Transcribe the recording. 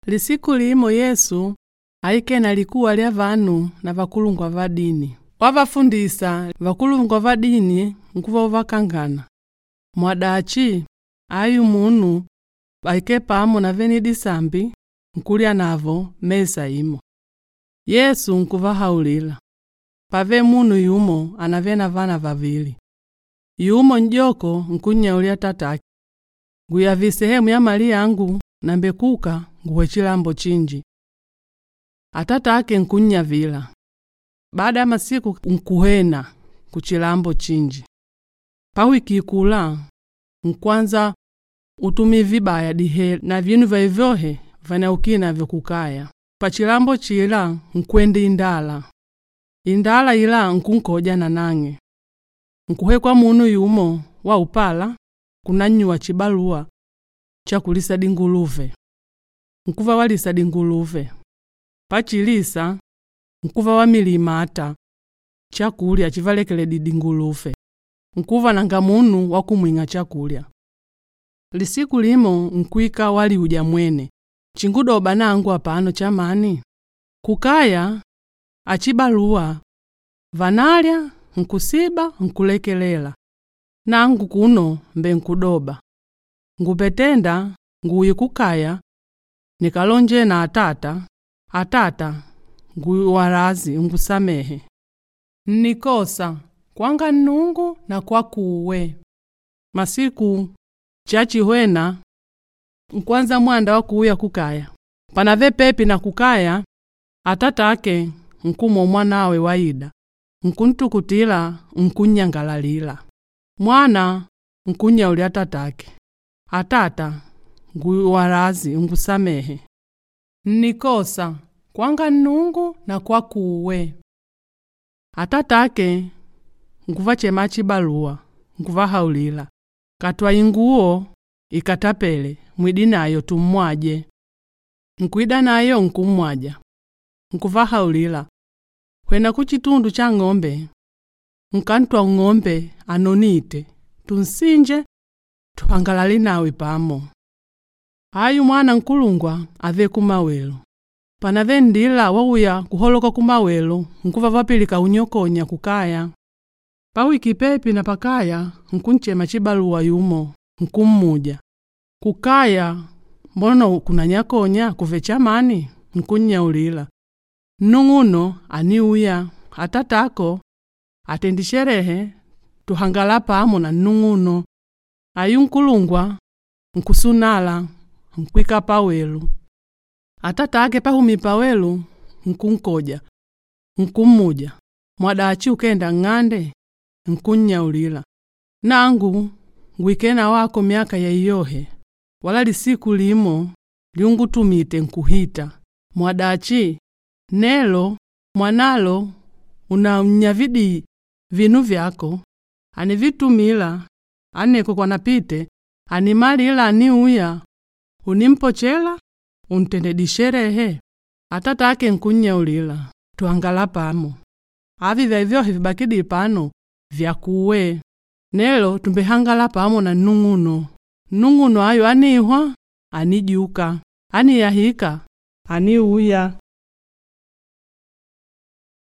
Lisiku limo Yesu aikele likuwa lya vanu na vakulungwa va dini. Wavafundisa vakulungwa va dini nkuva uvakangana. Mwadachi ayu munu aikele pamo na vene disambi nkulya navo mesa imo. Yesu nkuvahaulila, pave munu yumo anave na vana vavili. Yumo n'joko nkunnyaulila tatake, nguyavi sehemu ya mali yangu nambekuka nguwe chilambo chinji. Atatake nkunnyavila. Baada ya masiku nkuhena kuchilambo chinji. Pawiki kula nkwanza utumi vibaya dihe na vinu vaivyohe vanaukile navyo kukaya. Pachilambo chila nkwenda indala. Indala ila nkunkoja nanang'e. Nkuhekwa munu yumo wa upala kunanyuwa chibaluwa cha kulisa dinguluve. Nkuva walisa dinguluve. Pachilisa nkuva wa milimata chakulya chivalekele dinguluve. Nkuva nanga munu wa kumwing'a chakulya. Lisiku limo nkwika waliuja mwene. Chingudoba nangu apano chamani. Kukaya achibaluwa vanalya nkusiba nkulekelela. Nangu kuno mbe nkudoba. Ngupetenda nguyi kukaya nikalonje na atata, atata nguwalazi ungusamehe. Nnikosa kwanga Nnungu na kwakuwe. Masiku chachihwena nkwanza mwanda wa kuuya kukaya. Panave pepi na kukaya atatake nkumwa mwanawe waida. Nkuntukutila nkunyangalalila. Mwana nkunyaulila tatake. Atata nguwalazi ungusamehe. Nnikosa kwanga Nnungu na kwakuwe. Atatake nkuvachema chibaluwa nkuvahaulila. Katwa inguo ikatapele mwidi nayo tummwaje. Nkuida nayo nkummwaja. Nkuvahaulila. Hwena kuchitundu cha ng'ombe. Nkantwa ng'ombe anonite. Tunsinje tuhangalale nawe pamo. Ayu mwana nkulungwa ave kumawelo. Panave ndila wauya kuholoka kumawelo nkuva vapilika unyokonya kukaya. Pawiki pepi na pakaya nkunchema chibaluwa yumo nkummuja. Kukaya mbono kunanyakonya kuve chamani nkunnyaulila. Nung'uno aniuya atatako atendi sherehe tuhangala pamo na nung'uno. Ayu nkulungwa nkusunala nkwika pawelu. Atatake pahumi pawelu nkunkoja nkummuja. Mwadachi ukenda ng'ande nkunnyaulila. Nangu ngwikena wako miaka ya iyohe wala lisiku limo liungutumite nkuhita. Mwadachi nelo mwanalo unanyavidi vinu vyako anivitumila aneko kwanapite animalila aniuya unimpochela untendedi sherehe. Atatake nkunnyaulila tuangala pamo. Avi vyavyohe vibakidi pano vyakuwe. Nelo tumbehangala pamo na nung'uno. Nung'uno ayo anihwa anijuka. Aniyahika aniuya.